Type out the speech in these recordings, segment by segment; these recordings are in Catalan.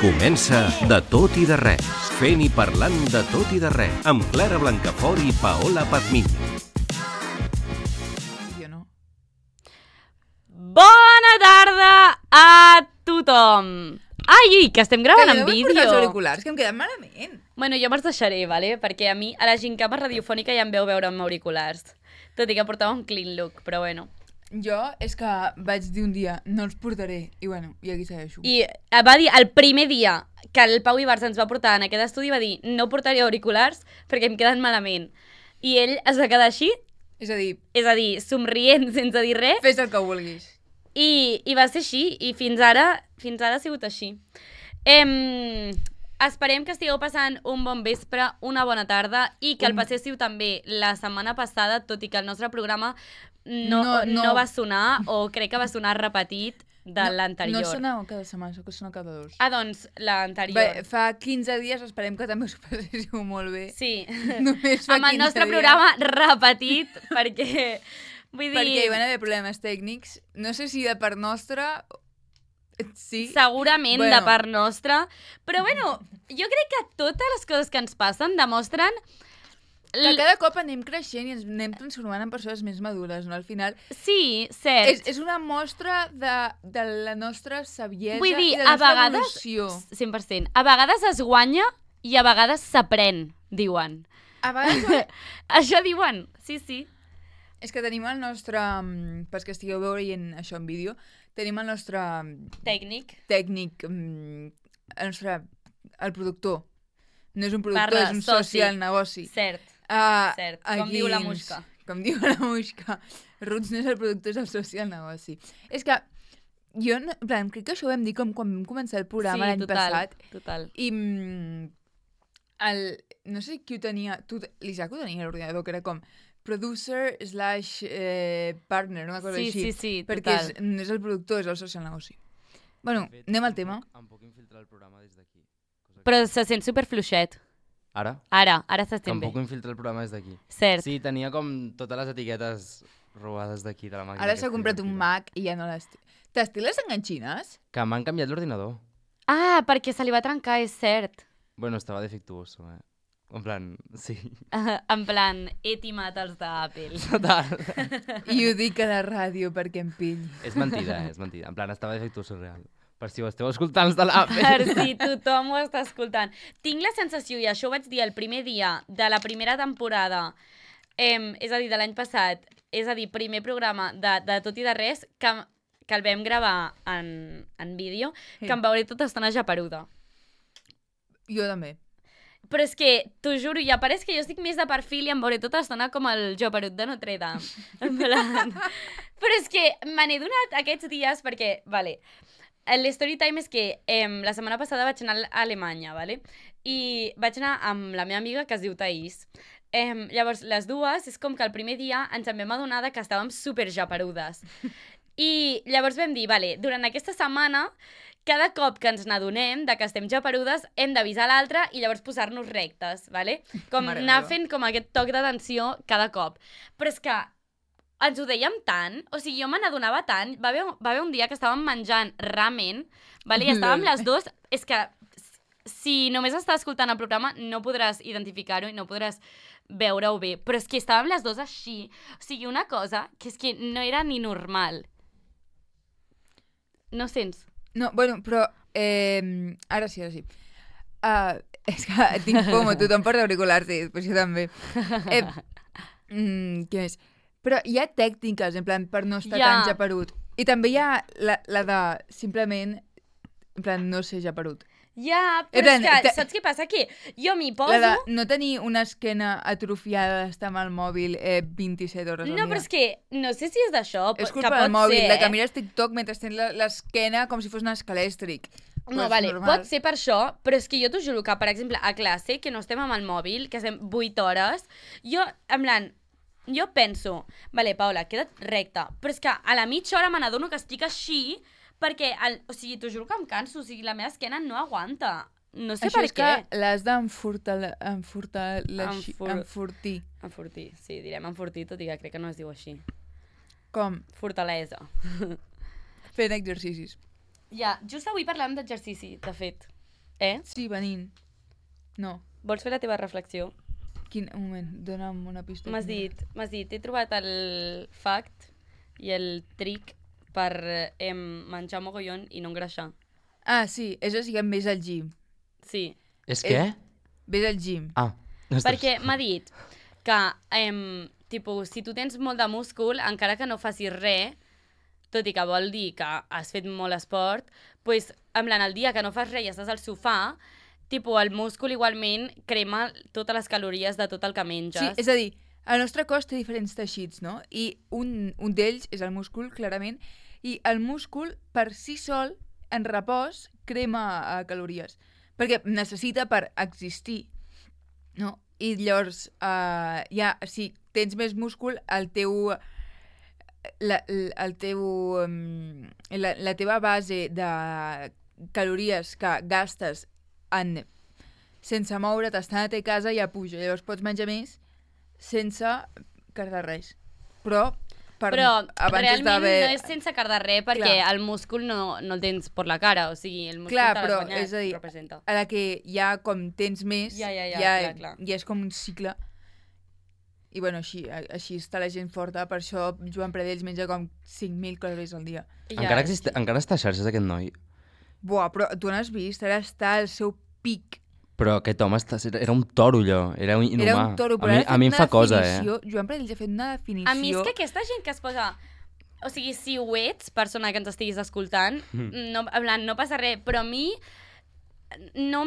Comença De tot i de res, fent i parlant de tot i de res, amb Clara Blancafort i Paola Pazmiño. Jo no. Bona tarda a tothom! Ai, que estem gravant en vídeo. Que jo no els auriculars, que em queden malament. Bueno, jo me'ls deixaré, vale? Perquè a mi, a la gincama radiofònica ja em veu veure amb auriculars. Tot i que portava un clean look, però bueno. Jo és que vaig dir un dia, no els portaré, i bueno, i aquí segueixo. I va dir, el primer dia que el Pau Ibarz ens va portar en aquest estudi, va dir, no portaré auriculars perquè em queden malament. I ell es va quedar així, És a dir, somrient sense dir res. fes el que vulguis. I va ser així, i fins ara ha sigut així. Esperem que estigueu passant un bon vespre, una bona tarda, i que el passéssiu també la setmana passada, tot i que el nostre programa no va sonar, o crec que va sonar repetit de l'anterior. No sona cada setmana, que sona cada dos. Ah, doncs, l'anterior. Bé, fa 15 dies, esperem que també us ho passéssiu molt bé. Sí, Només fa amb el 15 nostre dies. programa repetit, perquè... Vull dir... Perquè hi van haver problemes tècnics, no sé si de part nostra... Sí. Segurament de part nostra. Però bueno, jo crec que totes les coses que ens passen demostren... Que cada cop anem creixent i ens anem transformant en persones més madures, no? Al final... Sí, cert. És una mostra de la nostra saviesa Vull dir, i de la nostra vegades, evolució. 100%. A vegades es guanya i a vegades s'aprèn, diuen. A vegades... Això diuen, sí, sí. És que tenim el nostre... Pels que estigueu veient això en vídeo, tenim el nostre... Tècnic. El productor. No és un productor, és un soci al negoci. Cert, cert. Com diu la Muixca. Com diu la Muixca. Roots no és el productor, és el soci al negoci. És que jo, en plan, crec que això ho vam dir quan vam començar el programa l'any passat. Total. I no sé qui ho tenia... L'Isaac ho tenia a l'ordinador, que era com producer / partner, una cosa així. Sí, perquè total. no és el productor, és el soci al negoci. Bueno, anem al tema. Em puc infiltrar el programa des d'aquí. Però se sent superfluixet. Ara? Ara Que s'estén em bé. puc infiltrar el programa des d'aquí. Cert. Sí, tenia com totes les etiquetes robades d'aquí, de la màquina. Ara s'ha comprat un Mac i ja no les... T'estic les enganxines? Que m'han canviat l'ordinador. Ah, perquè se li va trencar, és cert. Bueno, estava defectuoso, En plan, sí. En plan, he timat els d'Apple. Total. I ho dic a la ràdio perquè em pilli. És mentida, és mentida. En plan, estava defectuoso real. Per si ho esteu escoltant els de l'Apple. Per si tothom ho està escoltant. Tinc la sensació, i això ho vaig dir el primer dia de la primera temporada, és a dir, de l'any passat, és a dir, primer programa de Tot i de Res, que el vam gravar en vídeo, que em veuré tota estona japeruda. Jo també. Però és que, t'ho juro, ja pareix que jo estic més de perfil i em veuré tota l'estona com el joperut de Notre Dame. En plan... Però és que me n'he donat aquests dies perquè, vale, l'story time és que la setmana passada vaig anar a Alemanya, vale? I vaig anar amb la meva amiga que es diu Thaís. Llavors, les dues, és com que el primer dia ens en vam adonar que estàvem super japerudes. I llavors vam dir, vale, durant aquesta setmana, cada cop que ens n'adonem que estem japerudes, hem d'avisar l'altre i llavors posar-nos rectes, vale? Com anar fent com aquest toc d'atenció cada cop. Però és que ens ho dèiem tant, o sigui, jo me n'adonava tant, va haver un dia que estàvem menjant ramen, vale? I estàvem les dues, és que si només estàs escoltant el programa no podràs identificar-ho i no podràs veure-ho bé, però és que estàvem les dues així, o sigui, una cosa que és que no era ni normal. No sents? No, bueno, però... Ara sí. És que tinc fomo, tothom porta auriculars, sí, però jo també. Què més? Però hi ha tècniques, en plan, per no estar tan japerut. I també hi ha la de, simplement, en plan, no ser japerut. Ja, però és que, saps què passa? Que jo m'hi poso... La de no tenir una esquena atrofiada d'estar amb el mòbil 27 hores al dia. No, però és que no sé si és d'això, és que culpa pot del mòbil, ser, de que mires TikTok mentre tens l'esquena com si fos un escalèstric. No, vale, pot ser per això, però és que jo t'ho juro que, per exemple, a classe, que no estem amb el mòbil, que estem 8 hores, jo, en plan, jo penso, vale, Paula, queda't recta, però és que a la mitja hora me n'adono que estic així, perquè, o sigui, t'ho juro que em canso, o sigui, la meva esquena no aguanta. No sé això per què. Això és que l'has d'enfortir. Enfortir, sí, direm enfortir, tot i que crec que no es diu així. Com? Fortalesa. Fent exercicis. Ja, just avui parlàvem d'exercici, de fet. Sí, venint. No. Vols fer la teva reflexió? Un moment, dona'm una pista. M'has dit, he trobat el fact i el trick per menjar mogollon i no engreixar. Ah, sí, és així que em ves al gym. Sí. És què? Ves al gym. Ah. Perquè m'ha dit que, tipus, si tu tens molt de múscul, encara que no facis res, tot i que vol dir que has fet molt esport, doncs, en plan, el dia que no fas res i estàs al sofà, tipus, el múscul igualment crema totes les calories de tot el que menges. Sí, és a dir, el nostre cos té diferents teixits, no? I un d'ells és el múscul, clarament, i el múscul, per si sol, en repòs, crema calories. Perquè necessita per existir, no? I llavors, si tens més múscul, la teva base de calories que gastes sense moure't, estant a ta casa, ja puja. Llavors pots menjar més sense cardar res. Però realment no és sense cardar res, perquè el múscul no el tens per la cara, o sigui, el múscul te l'has guanyat, és a dir, representa. A la que ja com tens més, clar. ja és com un cicle. I bueno, així està la gent forta, per això Joan Pradells menja com 5.000 calories al dia. Encara està a xarxes aquest noi. Buah, però tu no has vist? Ara està al seu pic. Però aquest home era un toro, allò. Era inhumà. Era un toro, però a mi em fa cosa, Joan Pradells ha fet una definició... A mi és que aquesta gent que es posa... O sigui, si ho ets, persona que ens estiguis escoltant, no passa res, però a mi no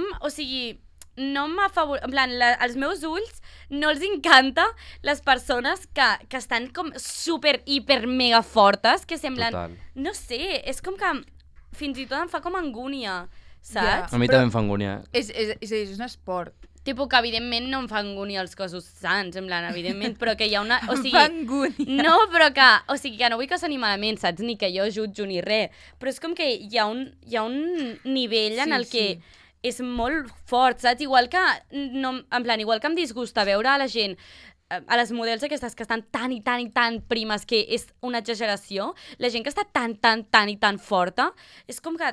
m'afavor... En plan, als meus ulls no els encanta les persones que estan com super, hiper, mega fortes, que semblen... Total. No sé, és com que fins i tot em fa com angúnia, saps? A mi també em fa angúnia. És un esport. Tipo que evidentment no em fa angúnia els cossos sants, en plan, evidentment, però que hi ha una... O sigui, fa angúnia. No, però que... O sigui, que no vull que soni malament, saps? Ni que jo jutjo ni res. Però és com que hi ha un nivell en el que és molt fort, saps? Igual que... No, en plan, igual que em disgusta veure a la gent a les models aquestes que estan tan i tan i tan primes que és una exageració, la gent que està tan i tan forta, és com que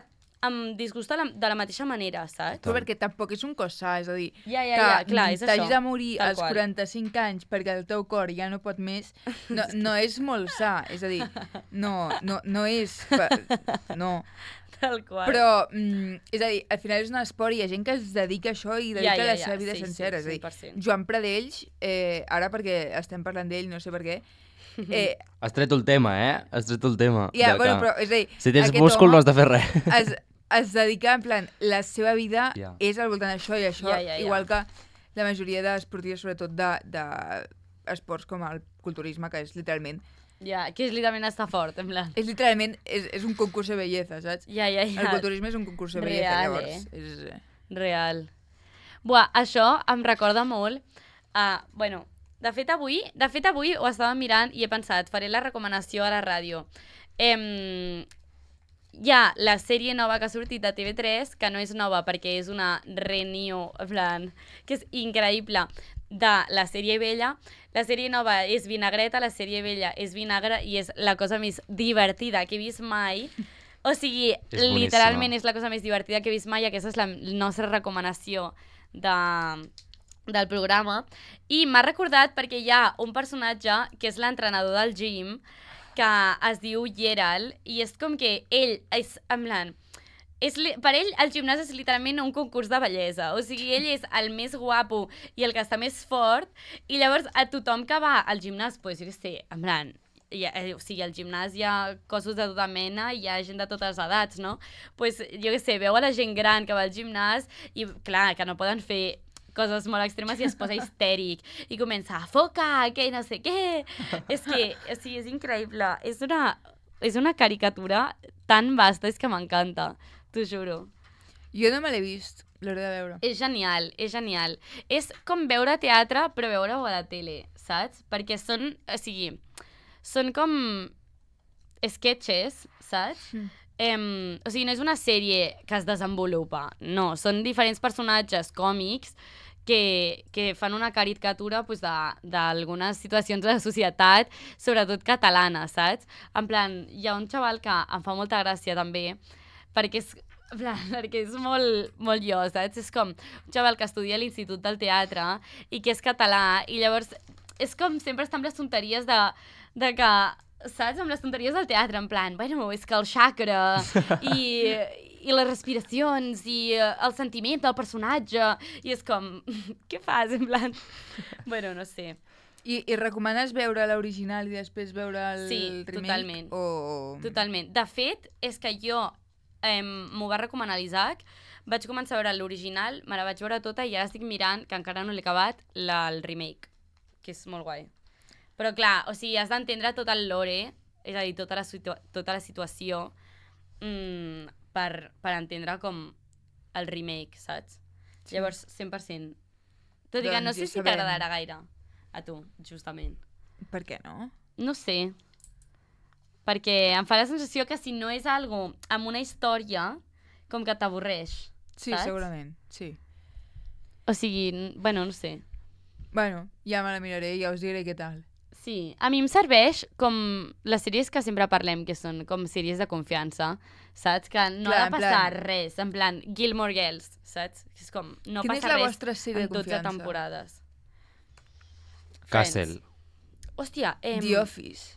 em disgusta de la mateixa manera, saps? Però perquè tampoc és un cos sa, és a dir, clar, és t'hagis això, de morir tal als qual. 45 anys perquè el teu cor ja no pot més, no és molt sa, és a dir, no és... No. Tal qual. Però, és a dir, al final és un esport i hi ha gent que es dedica a això i dedica la seva vida sencera. Sí, és a dir, 100%. Joan Pradells, ara perquè estem parlant d'ell, no sé per què, Has tret el tema, Has tret el tema. bueno, però, és a dir, si tens múscul no has de fer res. Es dedica, en plan, la seva vida és al voltant d'això i això, igual que la majoria d'esportistes, sobretot d'esports com el culturisme, que és literalment... Que és literalment estar fort, en plan. És literalment, és un concurs de bellesa, saps? El culturisme és un concurs de bellesa, llavors. Real. Buah, això em recorda molt bueno, de fet avui ho estava mirant i he pensat, faré la recomanació a la ràdio. Hi ha la sèrie nova que ha sortit a TV3, que no és nova perquè és una reunió, en plan, que és increïble, de la sèrie vella. La sèrie nova és vinagreta, la sèrie vella és vinagre i és la cosa més divertida que he vist mai. O sigui, literalment és la cosa més divertida que he vist mai i aquesta és la nostra recomanació del programa. I m'ha recordat perquè hi ha un personatge que és l'entrenador del gym que es diu Gerald i és com que ell és, en plan, per ell el gimnàs és literalment un concurs de bellesa, o sigui, ell és el més guapo i el que està més fort i llavors a tothom que va al gimnàs, pues jo què sé, en plan, o sigui, al gimnàs hi ha cossos de tota mena i hi ha gent de totes les edats, no? Pues jo què sé, veu a la gent gran que va al gimnàs i clar, que no poden fer coses molt extremes i es posa histèric i comença a foca, que no sé què. És que, o sigui, és increïble. És una caricatura tan vasta, és que m'encanta, t'ho juro. Jo no me l'he vist, l'hauré de veure. És genial, és genial. És com veure teatre, però veure-ho a la tele, saps? Perquè són, o sigui, són com sketches, saps? O sigui, no és una sèrie que es desenvolupa, no, són diferents personatges còmics que fan una caricatura pues, d'algunes situacions de la societat, sobretot catalana, saps? En plan, hi ha un xaval que em fa molta gràcia també, perquè és En plan, perquè és molt, molt jo, saps? És com un xaval que estudia a l'Institut del Teatre i que és català, i llavors és com sempre està amb les tonteries de que, saps? Amb les tonteries del teatre, en plan, bueno, és que el xacra i les respiracions i el sentiment del personatge, i és com, què fas? En plan, bueno, no sé. I recomanes veure l'original i després veure el remake? Totalment. Totalment. De fet, és que jo m'ho va recomanar l'Isaac, vaig començar a veure l'original, me la vaig veure tota i ara estic mirant, que encara no l'he acabat, el remake, que és molt guai. Però clar, o sigui, has d'entendre tot el lore, és a dir, tota la situació per entendre com el remake, saps? Sí. Llavors, 100%. Tot i que no sé si t'agradarà gaire a tu, justament. Per què no? No sé. Perquè em fa la sensació que si no és algo amb una història, com que t'avorreix, Sí, saps? segurament, sí. O sigui, bueno, no sé. Bueno, ja me la miraré i ja us diré què tal. Sí, a mi em serveix com les sèries que sempre parlem, que són com sèries de confiança, saps? Que no Clar, ha de en passar plan- res, en plan Gilmore Girls, saps? És com, no Quina és passa la res vostra sèrie en de 12 confiança? temporades. Castle. Hòstia, The Office.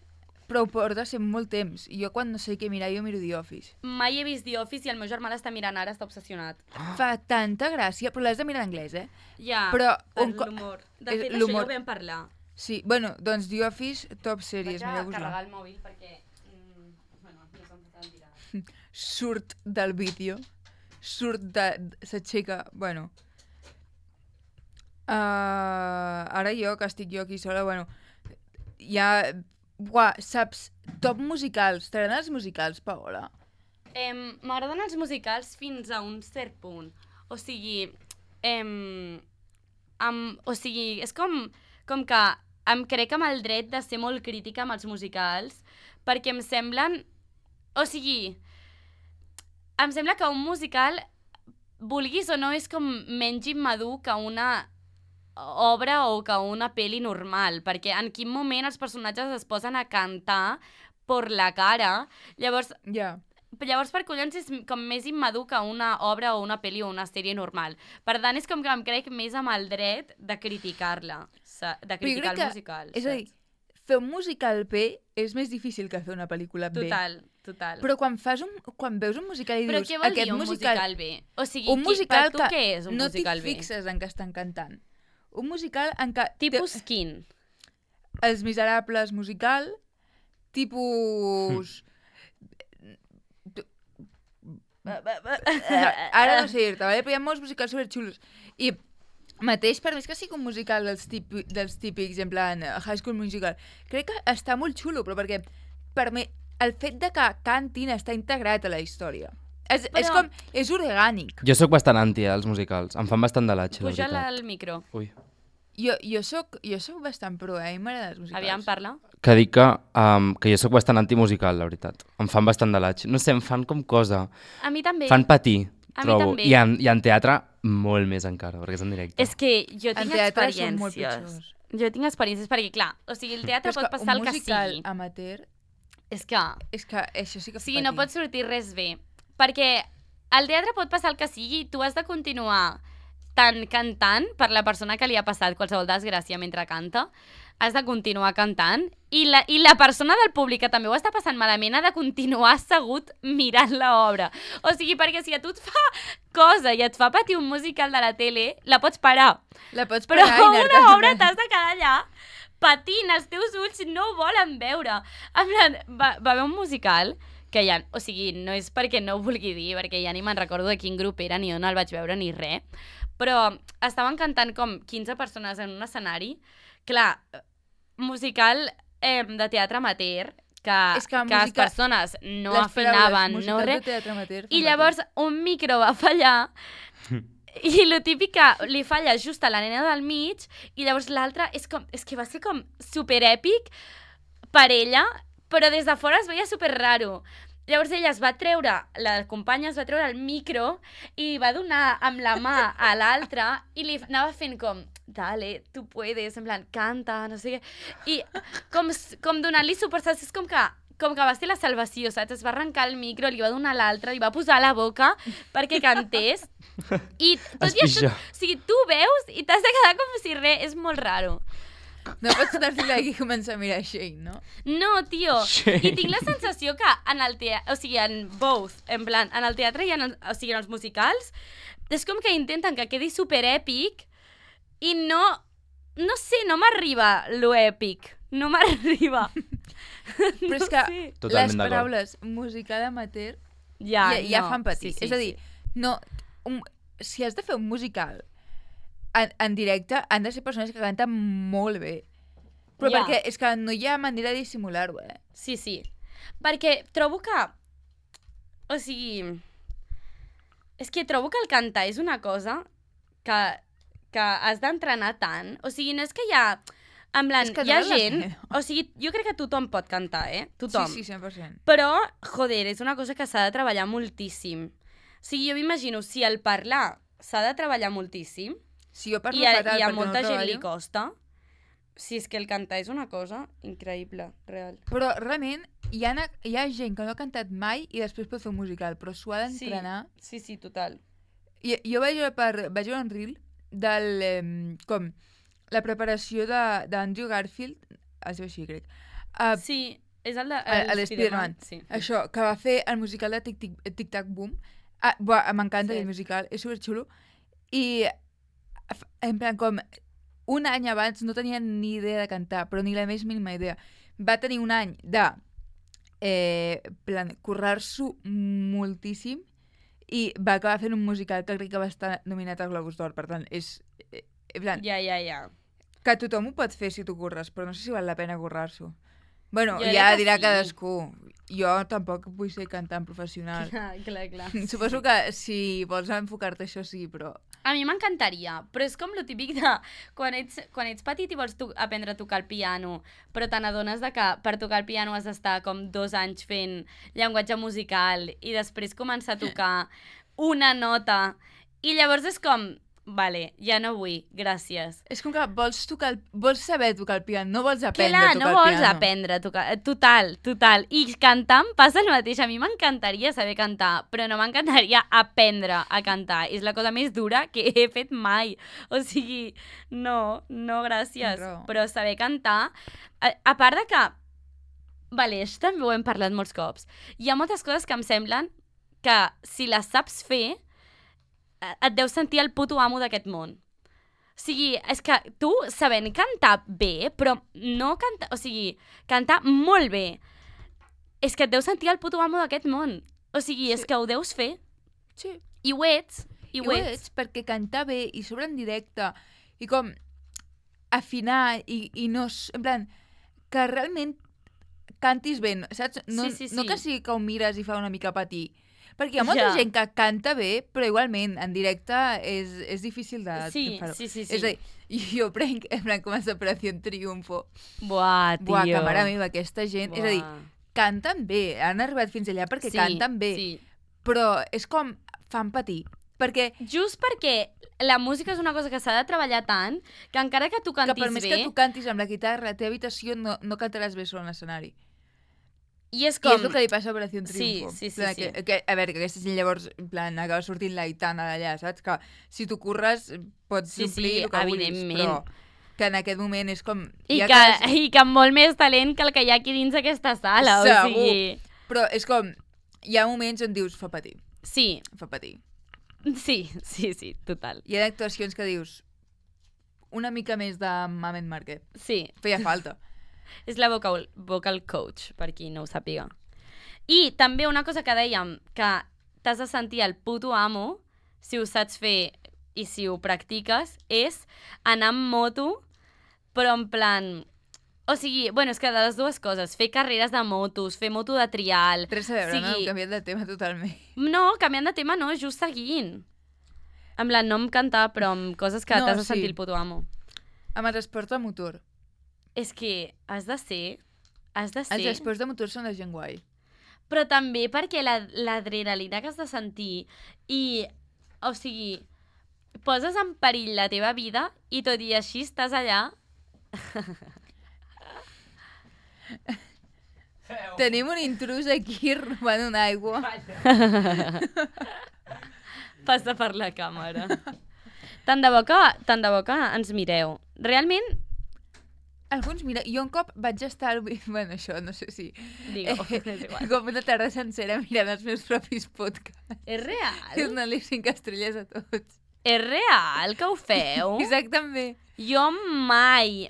Però ho porta sent molt temps. I jo quan no sé què mirar, jo miro The Office. mai he vist The Office i el meu germà l'està mirant ara, està obsessionat. Fa tanta gràcia, però l'has de mirar en anglès, eh? Ja, Però per un co- l'humor. De és fet, això ja l'humor. ho vam parlar. Sí, bueno, doncs The Office, top sèries, Vaig a mireu-vos-la. carregar el mòbil perquè... bueno, no se'm pot tirar. Surt del vídeo, s'aixeca, bueno. Ara jo, que estic jo aquí sola, bueno, ja... Buah, saps, top musicals. T'agraden els musicals, Paola? M'agraden els musicals fins a un cert punt. O sigui, és com que em crec amb el dret de ser molt crítica amb els musicals, perquè em semblen... O sigui, em sembla que un musical, vulguis o no, és com menys immadur que una obra o que una pel·li normal, perquè en quin moment els personatges es posen a cantar per la cara, llavors Ja. per collons és com més immadur que una obra o una pel·li o una sèrie normal. Per tant, és com que em crec més amb el dret de criticar-la, de criticar el musical. És a dir, fer un musical bé és més difícil que fer una pel·lícula bé. Total. Però quan veus un musical i Però dius... què vol dir aquest un musical bé? O sigui, un musical per tu què és un no musical t'hi bé? fixes en què estan cantant. Un musical en què... Tipus quin? Els Miserables musical, tipus... Ara no sé dir-te, vale? Però hi ha molts musicals superxulos. I mateix, per més que sigui un musical dels típics, en plan High School Musical, crec que està molt xulo, però perquè per mi el fet de que cantin està integrat a la història. És orgànic. Jo sóc bastant anti als musicals. Em fan bastant de l'atxe, la Puja-la veritat. al micro. Ui. Jo soc bastant pro, a mi m'agraden els musicals. Aviam, parla. Que dic que jo sóc bastant antimusical, la veritat. Em fan bastant de l'atxe. No sé, em fan com cosa. A mi també. Fan patir, A mi trobo. també. I en teatre, molt més encara, perquè és en directe. És que jo En tinc teatre són molt experiències. pitjors. Jo tinc experiències perquè, clar, o sigui, el teatre Però és pot que passar el un que musical sigui. amateur, És que... és que això sí que O sigui, no pot sortir res bé. Perquè al teatre pot passar el que sigui, tu has de continuar tant cantant per la persona que li ha passat qualsevol desgràcia mentre canta, has de continuar cantant, i la persona del públic que també ho està passant malament ha de continuar assegut mirant l'obra. O sigui, perquè si a tu et fa cosa i et fa patir un musical de la tele, la pots parar. La pots Però parar i anar-te una obra t'has de quedar allà patint, els teus ulls no ho volen veure. En plan, va haver un musical que ja, o sigui, no és perquè no ho vulgui dir, perquè ja ni me'n recordo de quin grup era, ni on el vaig veure, ni res, però estaven cantant com 15 persones en un escenari. Clar, musical de teatre amateur, que les persones no afinaven, no res, i llavors un micro va fallar i lo típic que li falla just a la nena del mig i llavors l'altra és que va ser com superèpic per ella, però des de fora es veia super raro. Llavors ella es va treure, la companya es va treure el micro i va donar amb la mà a l'altra i li anava fent com, dale, tu puedes, en plan, canta, no sé què. I com donant-li suport, és com que com que va ser la salvació, saps? Es va arrencar el micro, li va donar l'altre, li va posar a la boca perquè cantés. I tot i això, o sigui, tu veus i t'has de quedar com si res, és molt raro. No pots anar-te aquí i començar a mirar Shane, no? No, tio. Shane. I tinc la sensació que en el teatre, o sigui, en both, en plan, en el teatre i en els musicals, és com que intenten que quedi superèpic i no sé, no m'arriba lo èpic. No m'arriba. Però és que Totalment les d'acord. paraules musical amateur Ja ja fan patir. Sí, és a dir, no, si has de fer un musical en directe, han de ser persones que canten molt bé. Però Ja. perquè és que no hi ha manera de dissimular-ho, Sí, sí. Perquè trobo que... O sigui... És que trobo que el cantar és una cosa que has d'entrenar tant. O sigui, no és que hi ha... En plan, És que hi ha no val la gent... pena. O sigui, jo crec que tothom pot cantar, Tothom. Sí, 100%. Però, joder, és una cosa que s'ha de treballar moltíssim. O sigui, jo m'imagino, si el parlar s'ha de treballar moltíssim, Si jo parlo i a fatal perquè molta no gent li treballo, costa, si és que el cantar és una cosa increïble, real. però realment hi ha gent que no ha cantat mai i després pot fer un musical, però s'ho ha d'entrenar. Sí, total. Jo vaig veure un reel del... com la preparació d'Andrew Garfield, es diu així, crec. Sí, és el de l'Spiderman. Sí. Això, que va fer el musical de Tic Tac Boom. M'encanta Sí. el musical, és superxulo. I, en plan, com un any abans no tenia ni idea de cantar, però ni la més mínima idea. Va tenir un any de currar-s'ho moltíssim i va acabar fent un musical que crec que va estar nominat al Globus d'Or. Per tant, és... en plan, Ja. que tothom ho pot fer si t'ho curres, però no sé si val la pena currar-s'ho. Bueno, Jo ja crec que dirà sí. cadascú. Jo tampoc vull ser cantant professional. Clar. Suposo que si vols enfocar-te això sí, però... A mi m'encantaria, però és com lo típic de quan ets petit i vols aprendre a tocar el piano, però te n'adones de que per tocar el piano has d'estar com 2 anys fent llenguatge musical i després començar a tocar una nota i llavors és com, vale, ja no vull, gràcies. És com que vols saber tocar el piano, no vols aprendre Clar, a tocar no el vols piano. aprendre a tocar... Total. I cantant passa el mateix. A mi m'encantaria saber cantar, però no m'encantaria aprendre a cantar. És la cosa més dura que he fet mai. O sigui, no, gràcies. Raó. Però saber cantar... A part de que... Vale, això també ho hem parlat molts cops. Hi ha moltes coses que em semblen que si les saps fer, et deus sentir el puto amo d'aquest món. O sigui, és que tu, sabent cantar bé, però no cantar... O sigui, cantar molt bé, és que et deus sentir el puto amo d'aquest món. O sigui, és Sí. que ho deus fer. Sí. I ho ets. I ho ets perquè cantar bé i sobre en directe i com afinar i no... En plan, que realment cantis bé, saps? No, Sí. no que sí que ho mires i fa una mica patir. Perquè hi ha molta Ja. gent que canta bé, però igualment, en directe és difícil de fer-ho. Sí. És a dir, jo prenc, en plan, com a Operació Triunfo. Buah, tio. Buah, que mare meva, aquesta gent... És a dir, canten bé, han arribat fins allà perquè canten bé, Sí. però és com fan patir. Perquè Just perquè la música és una cosa que s'ha de treballar tant que encara que tu que cantis per més bé... que tu cantis amb la guitarra a la teva habitació no cantaràs bé sobre l'escenari. I és I com... és el que li passa a Operació Sí, Triunfo. sí. En plan, a veure, que aquesta gent llavors, en plan, acaba sortint la Aitana d'allà, saps? Que si tu curres pots Sí, omplir el que vulguis, evidentment. però que en aquest moment és com... I ja que amb molt més talent que el que hi ha aquí dins aquesta sala, Segur. o sigui... Però és com... Hi ha moments on dius, fa patir, Sí, fa patir. sí, total. Hi ha actuacions que dius, una mica més de Mamet Marquet. Sí, Feia falta. és la vocal coach, per qui no ho sàpiga. I també una cosa que dèiem, que t'has de sentir el puto amo, si ho saps fer i si ho practiques, és anar amb moto, però en plan... O sigui, bueno, és que de les dues coses, fer carreres de motos, fer moto de trial... Res a veure, no? sigui- Hem canviat de tema totalment. No, canviant de tema no, just seguint. En plan, no amb cantar, però amb coses que No, t'has de sí. sentir el puto amo. Amb el transport de motor. És que has de ser... Els transports de motor són de gent guai. Però també perquè l'adrenalina que has de sentir i, o sigui, poses en perill la teva vida i tot i així estàs allà. Tenim un intrus aquí robant una aigua. Passa per la càmera. Tant de bo que ens mireu. Realment, Alguns, mira, jo un cop vaig estar... Bueno, això no sé si... digue-ho, és igual. Com una tarda sencera mirant els meus propis podcasts. És real? Donant-li 5 estrelles a tots. És real que ho feu? Exactament. Jo mai.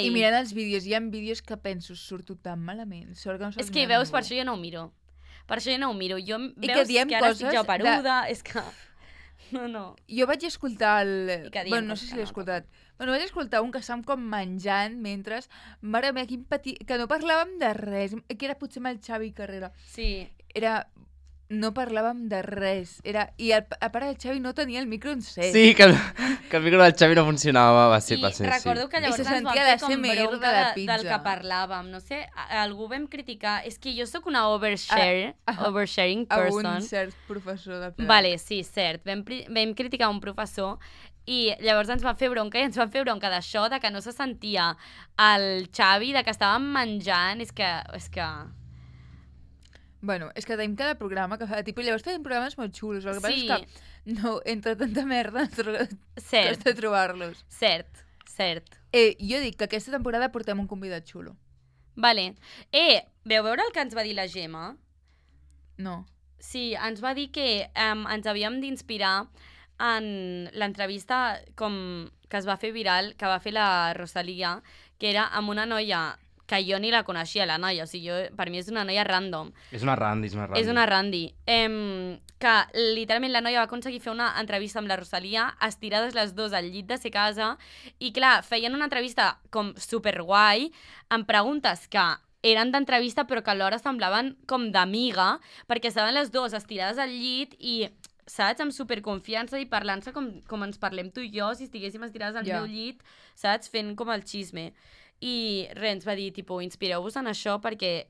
I mirant els vídeos, hi ha vídeos que penso, surto tan malament. Sort que no És que veus, per això jo no ho miro. Per això jo no ho miro. Jo, I veus que diem ara coses estic jo peruda, és que... No. Jo vaig escoltar I que diem Bueno, no coses sé si que l'he no escoltat. Bueno, vaig escoltar un que estàvem com menjant mentre... Mare meva, quin petit... Que no parlàvem de res. Que era potser amb el Xavi Carrera. Sí. Era... No parlàvem de res. I a part el Xavi no tenia el micro encès. Sí, que el micro del Xavi no funcionava, va ser, I recordo que llavors I se ens van sentia fer la com SMR bronca de la del pizza. que parlàvem. No sé, algú vam criticar... És que jo sóc una oversharing A person. un cert professor de Vale, sí, cert. Vam criticar un professor i llavors ens van fer bronca i ens van fer bronca d'això, de que no se sentia el Xavi, de que estàvem menjant. És que... Bueno, és que tenim cada programa que fa tipus... Llavors tenim programes molt xulos. El que passa és que no, entre tanta merda costa trobar-los. Cert. Jo dic que aquesta temporada portem un convidat xulo. Vale. Veu veure el que ens va dir la Gemma? No. Sí, ens va dir que ens havíem d'inspirar en l'entrevista com que es va fer viral, que va fer la Rosalia, que era amb una noia que jo ni la coneixia, la noia. O sigui, per mi és una noia random. És una randi. És una randi. Que literalment la noia va aconseguir fer una entrevista amb la Rosalia, estirades les dues al llit de ser casa, i clar, feien una entrevista com superguai, amb preguntes que eren d'entrevista però que alhora semblaven com d'amiga, perquè estaven les dues estirades al llit i, saps, amb superconfiança i parlant-se com ens parlem tu i jo si estiguéssim estirades al meu llit, saps, fent com el xisme. I res, ens va dir, tipus, inspireu-vos en això perquè,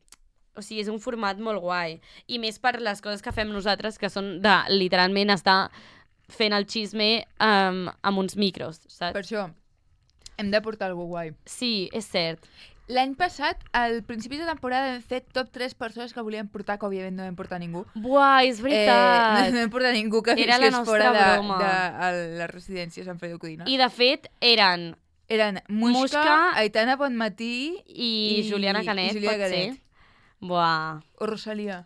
o sigui, és un format molt guai. I més per les coses que fem nosaltres, que són de, literalment, estar fent el xisme amb uns micros, saps? Per això hem de portar alguna guai. Sí, és cert. L'any passat, al principi de temporada, hem fet top 3 persones que volíem portar, que òbviament no vam portar ningú. Buah, és veritat! No vam portar ningú que Era la visqués nostra fora broma. de la residència Sant Feliu Codina. I, de fet, eren Muixca, Aitana Bonmatí i Juliana Canet, i Julià pot ser? Canet. Buah. O Rosalia.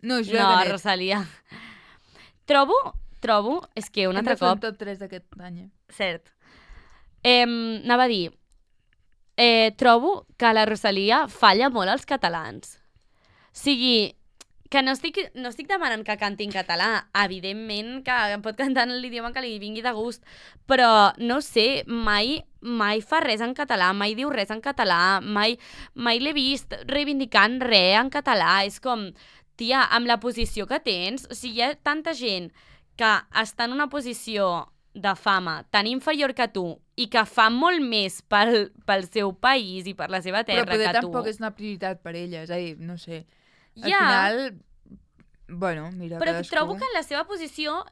No, Julià No, Canet. Rosalia. Trobo, és que un Hem altre de fer cop... un top 3 d'aquest any. Cert. Anava a dir, trobo que la Rosalia falla molt als catalans. O sigui, que no estic demanant que canti en català, evidentment que pot cantar en l'idioma que li vingui de gust, però no sé, mai fa res en català, mai diu res en català, mai l'he vist reivindicant res en català. És com, tia, amb la posició que tens, o sigui, hi ha tanta gent que està en una posició de fama tan inferior que tu i que fa molt més pel seu país i per la seva terra però poder que tu. tampoc és una prioritat per ella, és a dir, no sé. Al Ja. final, bueno, mira, Però cadascú. trobo que en la seva posició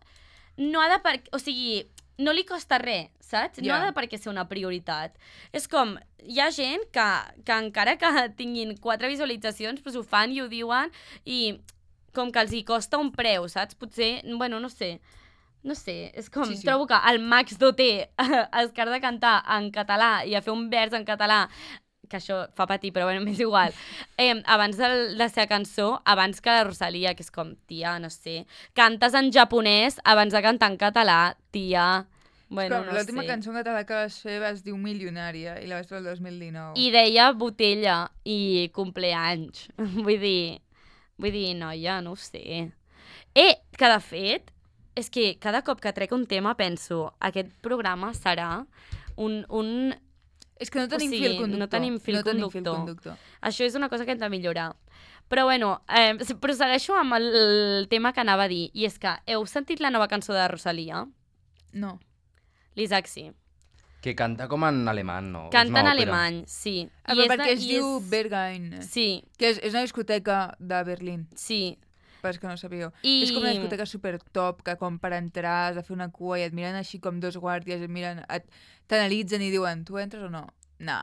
no ha de o sigui, no li costa res, saps? No Ja. ha de per què ser una prioritat. És com, hi ha gent que encara que tinguin 4 visualitzacions, doncs ho fan i ho diuen i com que els hi costa un preu, saps? Potser, bueno, no sé, és com, Sí. trobo que el Max Doté es car de cantar en català i a fer un vers en català, que això fa patir, però bueno, m'és igual, abans de la seva cançó, abans que la Rosalia, que és com, tia, no sé, cantes en japonès abans de cantar en català, tia, bueno, no sé. L'última cançó en català que vas fer es diu Milionària i la vas fer el 2019. I deia botella i compleanys. Vull dir, noia, no ho sé. Que de fet, és que cada cop que trec un tema penso, aquest programa serà un... És que no tenim o sigui, fil conductor. no tenim fil conductor. Això és una cosa que hem de millorar. Però bueno, prosegueixo amb el tema que anava a dir, i és que heu sentit la nova cançó de Rosalia? No. L'Isaac sí. Que canta com en alemany, no? Canta en alemany, sí. Però perquè es diu Berghain, Sí, que és una discoteca de Berlín, sí. per que no sapigueu. I- És com una discoteca super top, que com per entrar has de fer una cua i et miren així com dos guàrdies, t'analitzen i diuen, tu entres o no? No.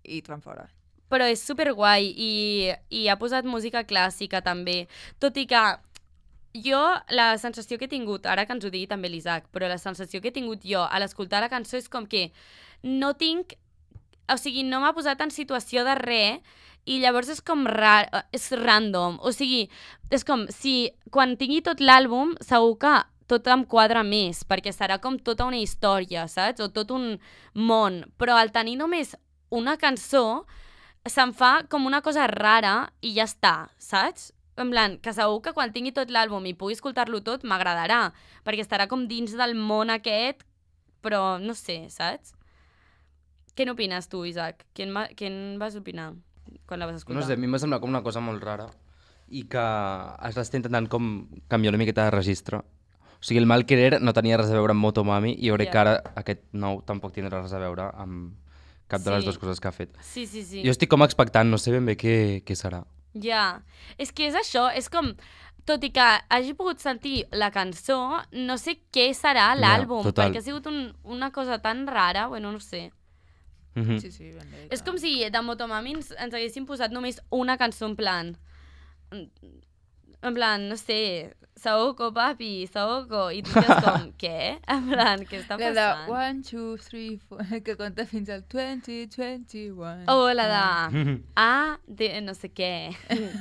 I et fan fora. però és superguai i ha posat música clàssica també, tot i que jo la sensació que he tingut, ara que ens ho digui també l'Isaac, però la sensació que he tingut jo a l'escoltar la cançó és com que no tinc, o sigui, no m'ha posat en situació de res i llavors és com és random, o sigui, és com si quan tingui tot l'àlbum segur que tot em quadra més, perquè serà com tota una història, saps? O tot un món, però al tenir només una cançó se'm fa com una cosa rara i ja està, saps? En plan, que segur que quan tingui tot l'àlbum i pugui escoltar-lo tot m'agradarà, perquè estarà com dins del món aquest, però no sé, saps? Què n'opines tu, Isaac? Què en vas opinar quan la vas escoltar? No sé, a mi m'ha semblat com una cosa molt rara i que es està intentant com canviar una miqueta de registre. O sigui, el Mal Querer no tenia res a veure amb Motomami i jo crec que ara aquest nou tampoc tindrà res a veure amb cap de les dues coses que ha fet. Sí. Jo estic com expectant, no sé ben bé què serà. Ja, és que és això, és com, tot i que hagi pogut sentir la cançó, no sé què serà l'àlbum, perquè ha sigut una cosa tan rara, bueno, no sé. Sí, ben bé. És com si de Motomami ens haguessin posat només una cançó en plan, no sé, Saoko, papi, Saoko, i tu dius com, què? En plan, què està passant? La de 1, 2, 3, 4, que compta fins al 20, 21. O la de A de no sé què,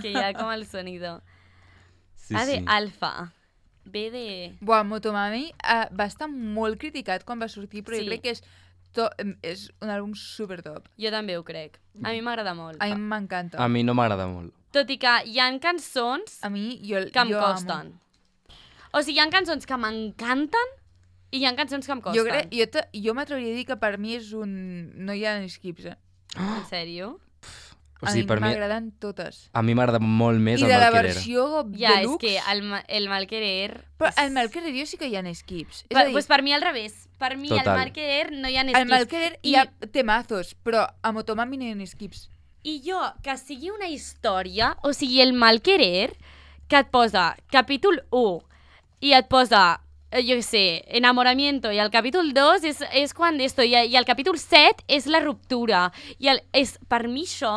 que hi ha com el sonido. Sí, A de sí. alfa, B de... Buah, Motomami va estar molt criticat quan va sortir, però Sí. jo crec que és un àlbum super top. Jo també ho crec. A mi m'agrada molt. A mi m'encanta. A mi no m'agrada molt. Tot i que hi ha cançons A mi, que em costen. O sigui, hi ha cançons que m'encanten i hi ha cançons que em costen. Jo m'atreviria a dir que per mi és un... No hi ha skips, eh? En sèrio? O sigui, a mi m'agraden totes. A mi m'agrada molt més I el de la Mal Querer. versió Ja, és deluxe... que el Mal Querer... Però el Mal Querer jo sí que hi ha skips. És a dir, Pues per mi al revés. Per mi Total. el Mal Querer no hi ha al Mal skips. Querer hi ha temazos, però a Motomami no hi ha skips. I jo, que sigui una història, o sigui, el Mal Querer, que et posa capítol 1 i et posa, jo què sé, enamoramiento, i el capítol 2 és quan esto, i el capítol 7 és la ruptura. És per mi això,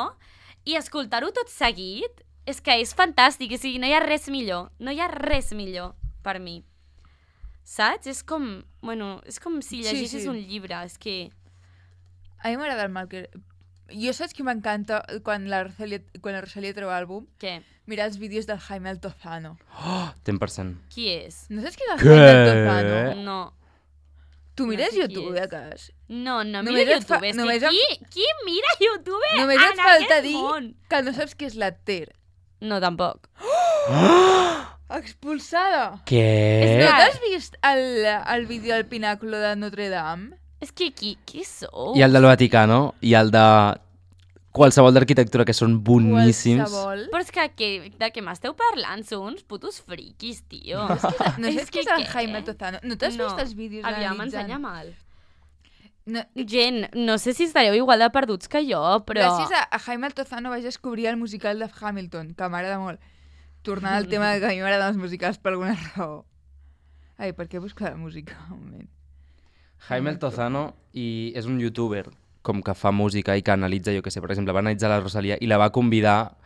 i escoltar-ho tot seguit, és que és fantàstic, o sigui, no hi ha res millor, no hi ha res millor per mi. Saps? És com, bueno, és com si llegissis un llibre, és que... A mi m'agrada el Mal Querer. Jo saps que m'encanta quan la Rosalía treu àlbum? Què? Mirar els vídeos del Jaime Altozano. Oh, 100%. Qui és? No saps qui és el Què? Jaime Altozano? No. Tu mires sé qui YouTube, és. de cas? No Només mira et fa- YouTube. És només que qui mira YouTube Només en et falta aquest dir món? que no saps qui és la Ter. No, tampoc. Expulsada! Què? No t'has vist el vídeo del Pináculo de Notre Dame? És que qui sou? I el del Vaticano, i el de qualsevol d'arquitectura, que són boníssims. Qualsevol. Però és que de què m'esteu parlant? Sou uns putos friquis, tio. No És saps qui és que el què? Jaime Altozano? No t'has No. vist els vídeos Aviam, analitzant? ensenya mal. No, Gent, no sé si estareu igual de perduts que jo, però... Gràcies a Jaime Altozano vaig descobrir el musical de Hamilton, que m'agrada molt. Tornant al tema de que a mi m'agraden els musicals per alguna raó. Ai, per què busco la música? Un moment. Jaime Altozano és un youtuber com que fa música i que analitza, jo que sé, per exemple, va analitzar la Rosalía i la va convidar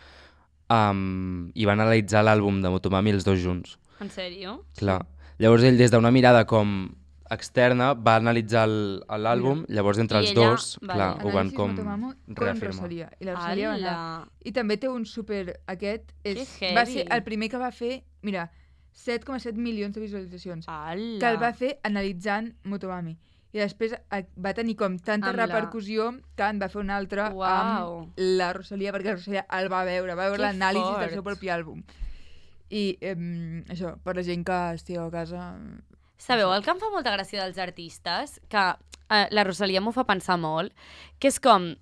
i van analitzar l'àlbum de Motomami els dos junts. En sèrio? Clar. Llavors ell, des d'una mirada com externa, va analitzar l'àlbum, llavors entre I els ella- dos, vale. clar, ho van Anàlisis com Motomamo con reafirmar. Rosalía. I la Rosalía va anar. Ala. I també té un super... Aquest Que va heavy. ser el primer que va fer... Mira, 7,7 milions de visualitzacions. Ala. Que el va fer analitzant Motomami. I després va tenir com tanta Amb la- repercussió que en va fer un altre Uau. amb la Rosalía, perquè la Rosalía el va veure Que l'anàlisi del fort. seu propi àlbum. I això, per la gent que estigueu a casa... Sabeu el que em fa molta gràcia dels artistes? Que la Rosalía m'ho fa pensar molt, que és com...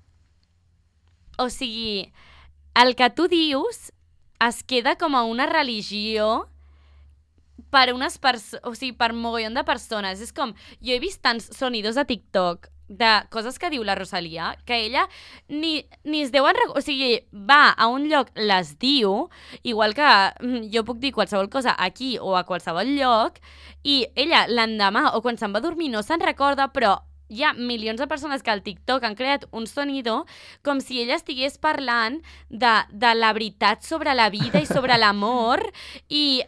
O sigui, el que tu dius es queda com a una religió per o sigui, per mogollon de persones. És com, jo he vist tants sonidos a TikTok de coses que diu la Rosalía, que ella ni es deuen... O sigui, va a un lloc, les diu, igual que jo puc dir qualsevol cosa aquí o a qualsevol lloc, i ella l'endemà o quan se'n va dormir no se'n recorda, però hi ha milions de persones que al TikTok han creat un sonido com si ella estigués parlant de la veritat sobre la vida i sobre l'amor i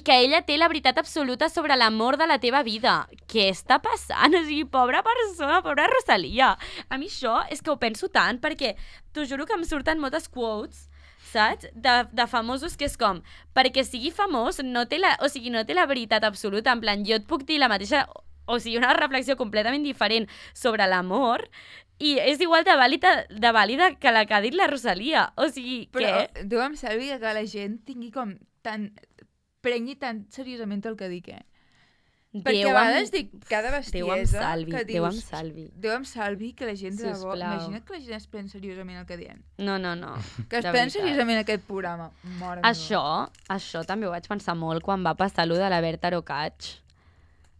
que ella té la veritat absoluta sobre l'amor de la teva vida. Què està passant? O sigui, pobra persona, pobra Rosalia. A mi això és que ho penso tant perquè t'ho juro que em surten moltes quotes, saps? De famosos que és com, perquè sigui famós no té la veritat absoluta, en plan, jo et puc dir la mateixa, o sigui, una reflexió completament diferent sobre l'amor i és igual de vàlida que la que ha dit la Rosalia. O sigui, però què? Déu em salvi que la gent tingui com prengui tan seriosament el que dic, Perquè a vegades dic cada bestiesa que dius... Déu em salvi que la gent de debò... Imagina't que la gent es pren seriosament el que diem. No. Que es pren seriosament aquest programa. Això també ho vaig pensar molt quan va passar allò de la Berta Arocach.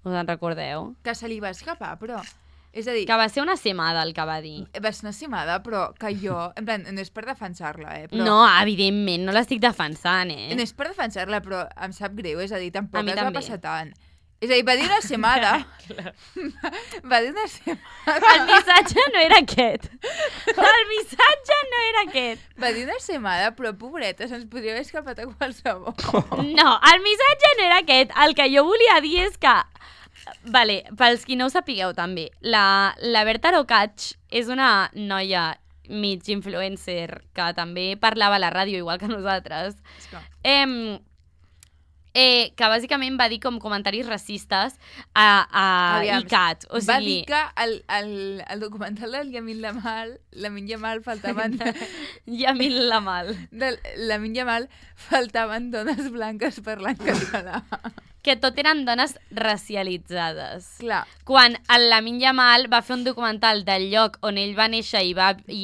Us en recordeu? Que se li va escapar, però... És a dir... Que va ser una semada el que va dir. Va ser una semada, però que jo... En plan, no és per defensar-la, Però... No, evidentment, no l'estic defensant, No és per defensar-la, però em sap greu, és a dir, tampoc es va passar tant. És a dir, va dir una semada. Va dir una semada. El missatge no era aquest. El missatge no era aquest. Va dir una semada, però pobreta, se'ns podria haver escapat a qualsevol. No, el missatge no era aquest. El que jo volia dir és que... Vale, pels qui no ho sapigueu també, la Berta Arocach és una noia mig influencer que també parlava a la ràdio igual que nosaltres. Que bàsicament va dir com comentaris racistes a ICAT. O sigui... Va dir que el documental del Lamine Yamal faltaven... Lamine Yamal faltaven dones blanques parlant català. Que tot eren dones racialitzades. Clar. Quan el Lamine Yamal va fer un documental del lloc on ell va néixer i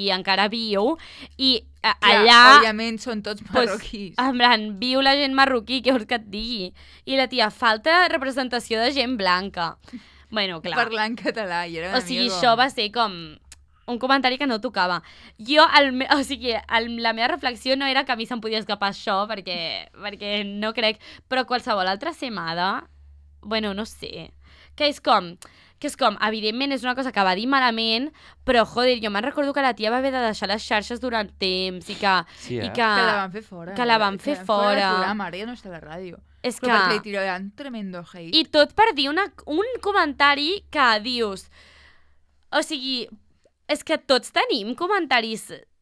encara viu, i allà... Òbviament són tots marroquís. En plan, viu la gent marroquí, què vols que et digui? I la tia, falta representació de gent blanca. Bueno, clar. Parlant català, i era una O sigui, això va ser com... un comentari que no tocava. Jo, la meva reflexió no era que a mi se'm podia escapar això, perquè no crec, però qualsevol altra semada, bueno, no sé, que és com, evidentment és una cosa que va dir malament, però, joder, jo me'n recordo que la tia va haver de deixar les xarxes durant temps i que... Sí, que la van fer fora. Que la van fer fora. Del programa, ara ja no està a la ràdio. És però perquè li tiraran tremendo hate. I tot per dir un comentari que dius... O sigui... És que tots tenim comentaris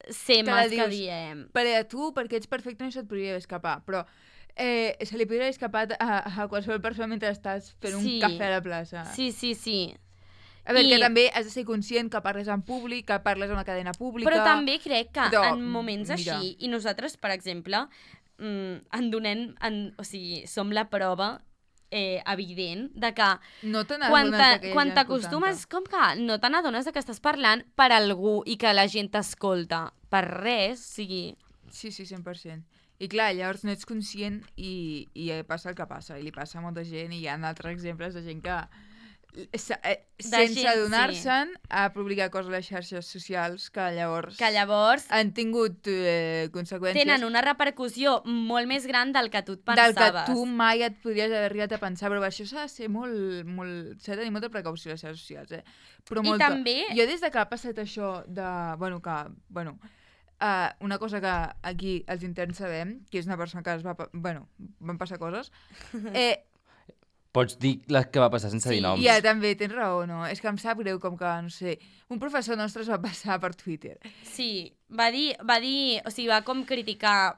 semes que diem. Per a tu, perquè ets perfecte, no se't podria escapar, però se li podria haver escapat a qualsevol persona mentre estàs fent un cafè a la plaça. Sí. A veure, que també has de ser conscient que parles en públic, que parles en una cadena pública... Però també crec que en moments així, i nosaltres, per exemple, o sigui, som la prova evident de que no quan t'acostumes, com que no te n'adones que estàs parlant per algú i que la gent t'escolta per res, o sigui... Sí, 100%. I clar, llavors no ets conscient i passa el que passa, i li passa a molta gent, i hi ha altres exemples de gent que sense adonar-se'n a publicar coses a les xarxes socials que llavors han tingut conseqüències. Tenen una repercussió molt més gran del que tu et pensaves. Del que tu mai et podries haver arribat a pensar, però això s'ha de ser s'ha de tenir molta precaució a les xarxes socials, Però molta. I també... Jo des que ha passat això de... una cosa que aquí els interns sabem, que és una persona que van passar coses... Pots dir les que va passar sense dir noms. Ja, també, tens raó, no? És que em sap greu com que, no sé, un professor nostre es va passar per Twitter. Sí, va dir, o sigui, va com criticar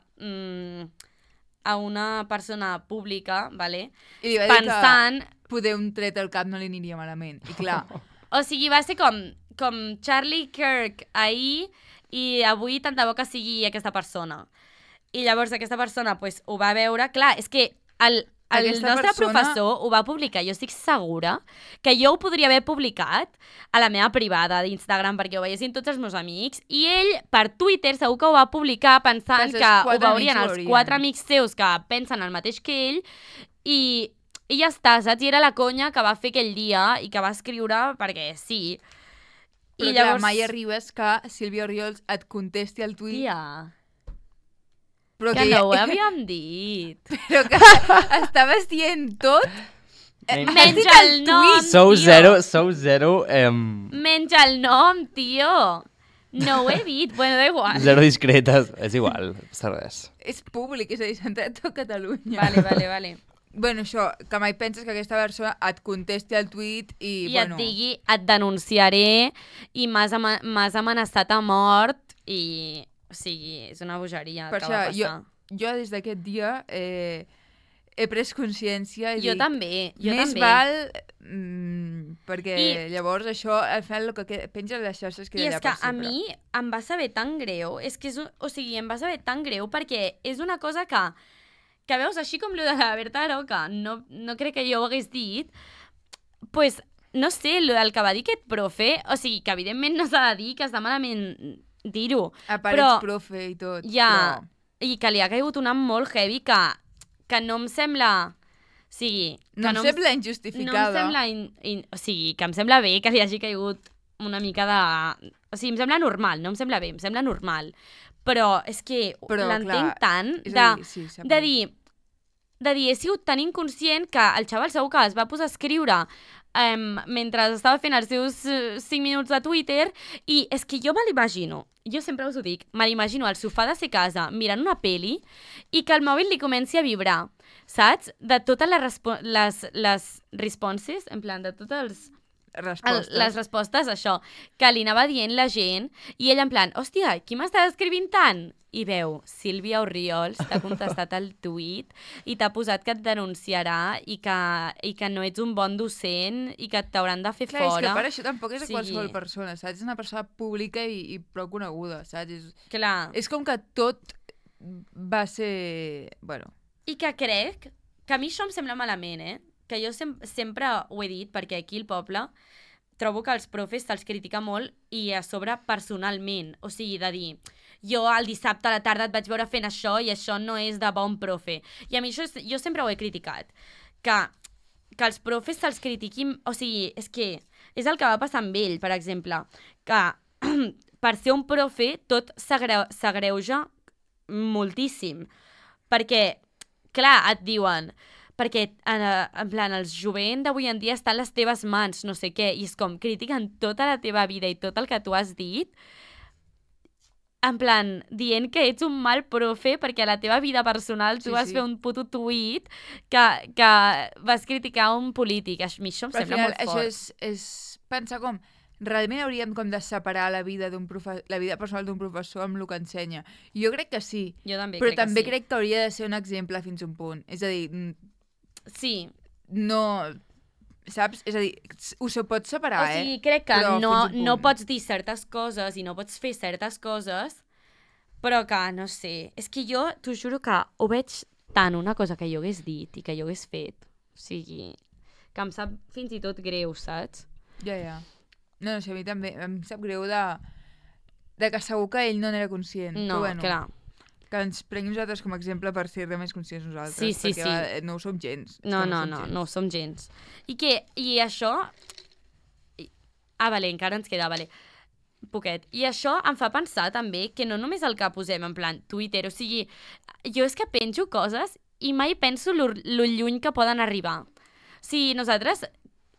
a una persona pública, vale? I va dir pensant... que poder un tret al cap no li aniria malament, i clar... O sigui, va ser com Charlie Kirk ahir i avui tant de bo que sigui aquesta persona. I llavors aquesta persona pues, ho va veure... Clar, és que el nostre professor ho va publicar. Jo estic segura que jo ho podria haver publicat a la meva privada d'Instagram perquè ho veiessin tots els meus amics i ell per Twitter segur que ho va publicar pensant que ho veurien els 4 amics seus que pensen el mateix que ell i ja està, saps? I era la conya que va fer aquell dia i que va escriure perquè sí. Però i llavors... mai arribes que Sílvia Oriols et contesti al tuit. Tia... Però que no ho havíem dit. Però que estaves dient tot Menja el nom, Sou tio. zero... Menja el nom, tio. No ho he dit. Bueno, da igual. Zero discretes. És igual, passa res. És públic, és a dir, s'entén tot Catalunya. Vale. Bueno, això, que mai penses que aquesta persona et contesti al tuit i I et digui, et denunciaré i m'has amenaçat a mort i... O sigui, és una bogeria Per que va això, passar. jo des d'aquest dia he pres consciència i Jo dic, també. més val perquè llavors això, al final, el que penja a les xarxes queda I és allà que per a sempre. mi em va saber tan greu, és que o sigui, em va saber tan greu perquè és una cosa que veus així com lo de la Berta Aroca, no crec que jo ho hagués dit, pues, no sé, lo del que va dir aquest profe, o sigui, que evidentment no s'ha de dir, que està malament dir-ho. A part ets profe i tot. Ja, i que li ha caigut una molt heavy que no em sembla... O sigui... No em sembla No injustificada. em sembla... O sigui, que em sembla bé que li hagi caigut una mica de... O sigui, em sembla normal, no em sembla bé, em sembla normal. Però és que l'entenc tant de dir, he sigut tan inconscient que el xaval segur que es va posar a escriure mentre estava fent els seus 5 minuts de Twitter i és que jo me l'imagino, jo sempre us ho dic, me l'imagino al sofà de ser casa mirant una peli i que el mòbil li comenci a vibrar, saps? De totes les responses, en plan, de tots les respostes, això, que li anava dient la gent i ell en plan, hòstia, qui m'està escrivint tant? I veu, Sílvia Orriols t'ha contestat el tuit i t'ha posat que et denunciarà i que no ets un bon docent i que t'hauran de fer Clar, fora. és que per això tampoc és qualsevol persona, saps? És una persona pública i prou coneguda, saps? Clar. És com que tot va ser... Bueno. I que crec que a mi això em sembla malament, que jo sempre ho he dit, perquè aquí al poble trobo que els profes se'ls critica molt i a sobre personalment. O sigui, de dir, jo el dissabte a la tarda et vaig veure fent això i això no és de bon profe. I a mi això jo sempre ho he criticat. Que els profes se'ls critiquin... O sigui, és que és el que va passar amb ell, per exemple, que per ser un profe tot s'agreuja moltíssim. Perquè, clar, et diuen... perquè, en plan, els jovent d'avui en dia està a les teves mans, no sé què, i és com, critiquen tota la teva vida i tot el que tu has dit, en plan, dient que ets un mal profe perquè a la teva vida personal tu vas fer un puto tuit que vas criticar un polític. A mi això em sembla molt fort. Això és pensar com... Realment hauríem com de separar la vida personal d'un professor amb el que ensenya. Jo crec que sí. Jo també però crec que també sí. crec que hauria de ser un exemple fins a un punt. És a dir... Sí. No... Saps? És a dir, ho pots separar, O sigui, crec que però no pots dir certes coses i no pots fer certes coses, però que, no sé... És que jo t'ho juro que ho veig tant una cosa que jo hagués dit i que jo hagués fet. O sigui, que em sap fins i tot greu, saps? Ja. No, a mi també em sap greu de que segur que ell no n'era conscient. No, però, bueno, clar. Que ens prenguem nosaltres com a exemple per ser més conscients nosaltres. Sí. Perquè no ho som gens. No ho som gens. I això... Vale, encara ens queda, vale. Poquet. I això em fa pensar també que no només el que posem en plan Twitter, o sigui, jo és que penjo coses i mai penso lo lluny que poden arribar. O sigui, nosaltres,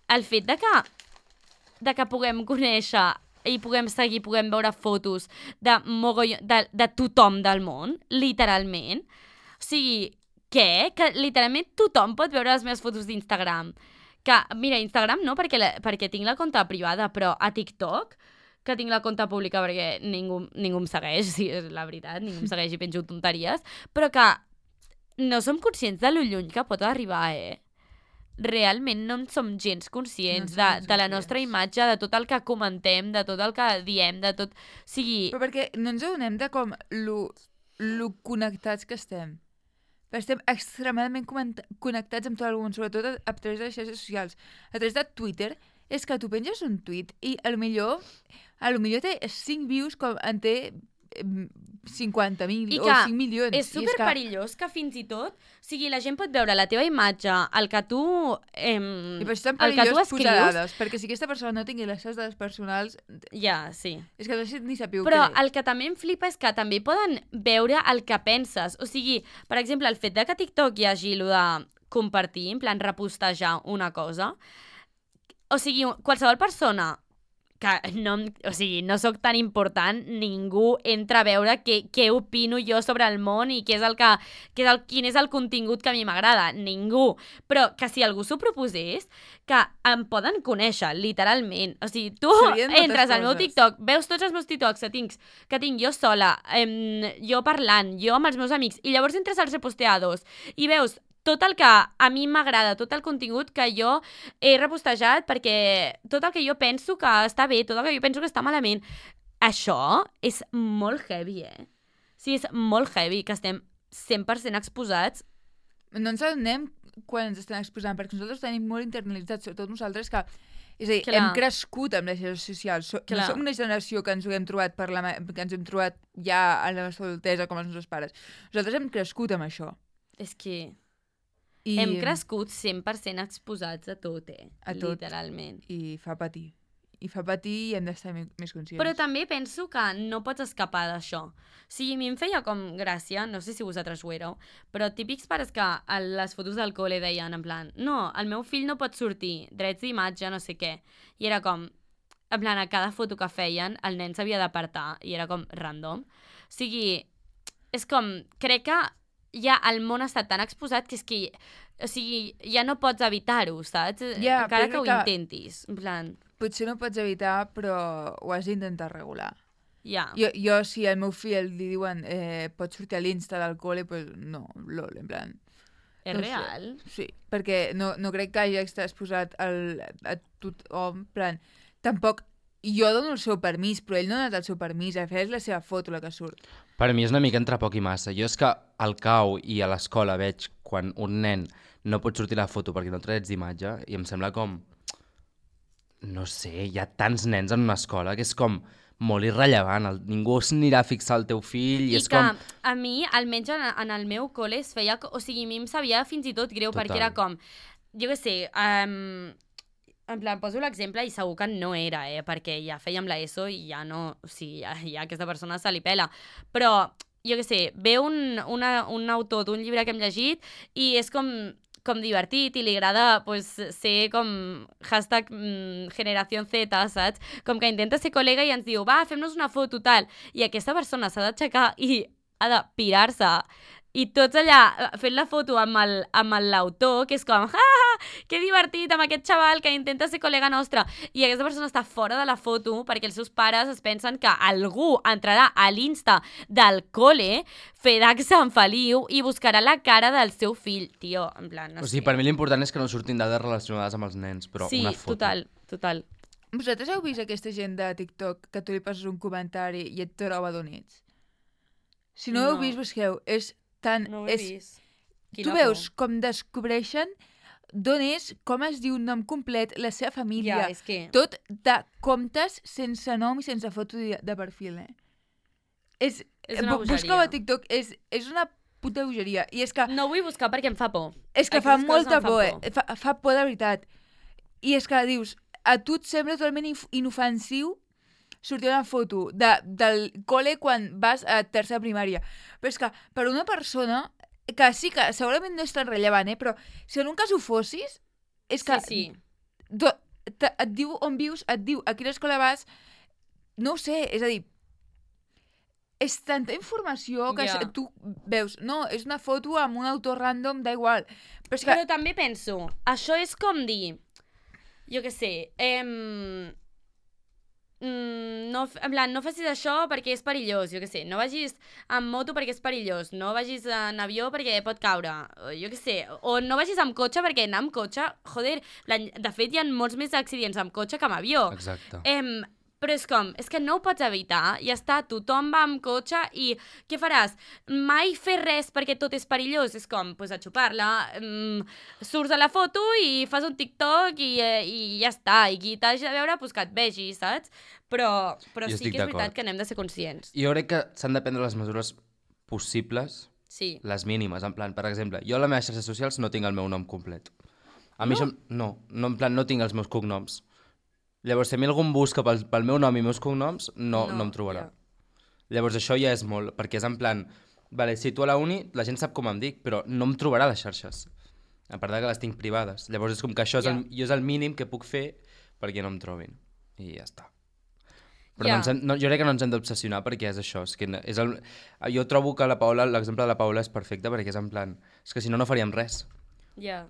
el fet de que puguem conèixer i puguem seguir, puguem veure fotos de tothom del món, literalment. O sigui, què? Que literalment tothom pot veure les meves fotos d'Instagram. Que, mira, Instagram no, perquè tinc la compte privada, però a TikTok, que tinc la compte pública perquè ningú em segueix, sí, és la veritat, ningú em segueix i penjo tonteries, però que no som conscients de lo lluny que pot arribar, realment no en som gens conscients de la nostra imatge, de tot el que comentem, de tot el que diem, de tot... O sigui... Però perquè no ens adonem de com lo connectats que estem. Però estem extremadament connectats amb tot el món, sobretot a través de les xarxes socials. A través de Twitter, és que tu penges un tuit i potser té 5 views com en té 50.000 o 5 milions. És superperillós que fins i tot, o sigui, la gent pot veure la teva imatge, el que tu I per això és tan perillós posar dades, perquè si aquesta persona no tingui les seves dades personals... Ja, sí. És que no sé ni sapiu Però què. el que també em flipa és que també poden veure el que penses. O sigui, per exemple, el fet de que a TikTok hi hagi compartir, en plan repostejar una cosa. O sigui, qualsevol persona que no sóc tan important, ningú entra a veure què opino jo sobre el món i quin és el contingut que a mi m'agrada. Ningú. Però que si algú s'ho proposés, que em poden conèixer, literalment. O sigui, tu entres al meu TikTok, veus tots els meus TikToks que tinc jo sola, jo parlant, jo amb els meus amics, i llavors entres als reposteados i veus tot el que a mi m'agrada, tot el contingut que jo he repostejat, perquè tot el que jo penso que està bé, tot el que jo penso que està malament, això és molt heavy, Sí, és molt heavy, que estem 100% exposats. No ens adonem quan ens estem exposant, perquè nosaltres tenim molt internalitzat, sobretot nosaltres que... És a dir, hem crescut amb les xarxes socials. No som una generació que ens ho hem trobat que ens hem trobat ja a la nostra adultesa com els nostres pares. Nosaltres hem crescut amb això. És que... Hem crescut 100% exposats a tot, a tot. Literalment. I fa patir. I fa patir i hem d'estar més conscients. Però també penso que no pots escapar d'això. O sigui, a mi em feia com gràcia, no sé si vosaltres ho éreu, però típics pares que a les fotos del col·le deien en plan, no, el meu fill no pot sortir, drets d'imatge, no sé què. I era com, en plan, a cada foto que feien, el nen s'havia d'apartar i era com random. O sigui, és com, crec que ja el món està tan exposat que és que, o sigui, ja no pots evitar-ho, saps? Encara que ho intentis, en plan... Potser no pots evitar, però ho has d'intentar regular. Ja. Jo, si al meu fill li diuen pots sortir a l'Insta del col·le, pues no, lol, en plan... És real? Sí, perquè no crec que hagi estat exposat a tothom, en plan... Tampoc... Jo dono el seu permís, però ell no ha donat el seu permís, a fer és la seva foto la que surt. Per mi és una mica entre poc i massa. Jo és que al CAU i a l'escola veig quan un nen no pot sortir la foto perquè no té drets d'imatge i em sembla com... No sé, hi ha tants nens en una escola que és com molt irrellevant. Ningú s'anirà a fixar el teu fill i és com... I que a mi, almenys en el meu col·le, es feia... O sigui, a mi em sabia fins i tot greu, perquè era com... Jo què sé... En plan, poso l'exemple i segur que no era, perquè ja fèiem l'ESO i ja no... O sigui, ja aquesta persona se li pela. Però, jo què sé, ve un autor d'un llibre que hem llegit i és com divertit i li agrada pues, ser com hashtag generació Z, saps? Com que intenta ser col·lega i ens diu, va, fem-nos una foto, tal. I aquesta persona s'ha d'aixecar i ha de pirar-se. I tots allà fent la foto amb l'autor, que és com, que divertit, amb aquest xaval que intenta ser col·lega nostre. I aquesta persona està fora de la foto perquè els seus pares es pensen que algú entrarà a l'Insta del col·le, farà que Sant Feliu i buscarà la cara del seu fill. Tio, en plan, no sé. O sigui, per mi l'important és que no surtin dades relacionades amb els nens, però sí, una foto. Sí, total. Vosaltres heu vist aquesta gent de TikTok que tu li passes un comentari i et troba d'on ets? Si no ho heu vist, busqueu. És tan... No ho he vist. Tu veus com descobreixen d'on és, com es diu nom complet, la seva família. Ja, és que... Tot de comptes sense nom i sense foto de perfil, És una bogeria. Busca-ho a TikTok, és una puta bogeria. I és que... No vull buscar perquè em fa por. És que fa molta por, fa por de veritat. I és que dius, a tu et sembla totalment inofensiu sortir una foto del col·le quan vas a tercera primària. Però és que per una persona que sí que segurament no és tan rellevant, però si en un cas ho fossis, és que sí. Et diu on vius, et diu a quina escola vas, no ho sé, és a dir, és tanta informació que tu veus, no, és una foto amb un autor random, da igual. Però també penso, això és com dir, jo què sé, no facis això perquè és perillós, jo què sé, no vagis amb moto perquè és perillós, no vagis en avió perquè pot caure, jo què sé, o no vagis amb cotxe perquè anar amb cotxe, joder, de fet hi ha molts més accidents amb cotxe que amb avió. Exacte. Però és que no ho pots evitar, ja està, tothom va amb cotxe i què faràs? Mai fer res perquè tot és perillós, és com, pues, a xupar-la, surts a la foto i fas un TikTok i ja està, i qui t'hagi de veure, pues, que et vegi, saps? Però sí que és veritat que n'hem de ser conscients. Jo crec que s'han de prendre les mesures possibles, les mínimes, en plan, per exemple, jo a les meves xarxes socials no tinc el meu nom complet. A mi això, no, en plan, no tinc els meus cognoms. Llavors, si a mi algú em busca pel meu nom i meus cognoms, no em trobarà. Llavors, això ja és molt, perquè és en plan, vale, si tu a la uni, la gent sap com em dic, però no em trobarà a les xarxes. A part de que les tinc privades. Llavors és com que això jo és el mínim que puc fer perquè no em trobin. I ja està. Però jo crec que no ens hem d'obsessionar perquè és això. Jo trobo que l'exemple de la Paola és perfecte perquè és en plan... És que si no, no faríem res. Ja,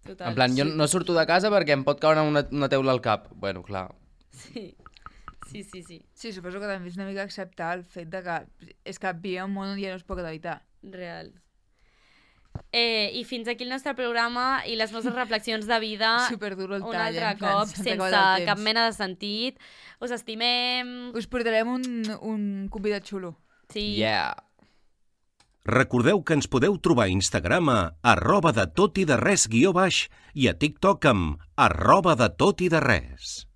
total. En plan, jo no surto de casa perquè em pot caure una teula al cap. Bueno, clar. Sí. Sí, suposo que també és una mica acceptar el fet de que és que vivim en un món on ja no es pot evitar. Real. I fins aquí el nostre programa i les nostres reflexions de vida. Superduro el tall. Un altre cop, sense cap mena de sentit. Us estimem. Us portarem un convidat xulo. Sí. Yeah. Recordeu que ens podeu trobar a Instagram a @detotideres_ i a TikTok amb @detotideres.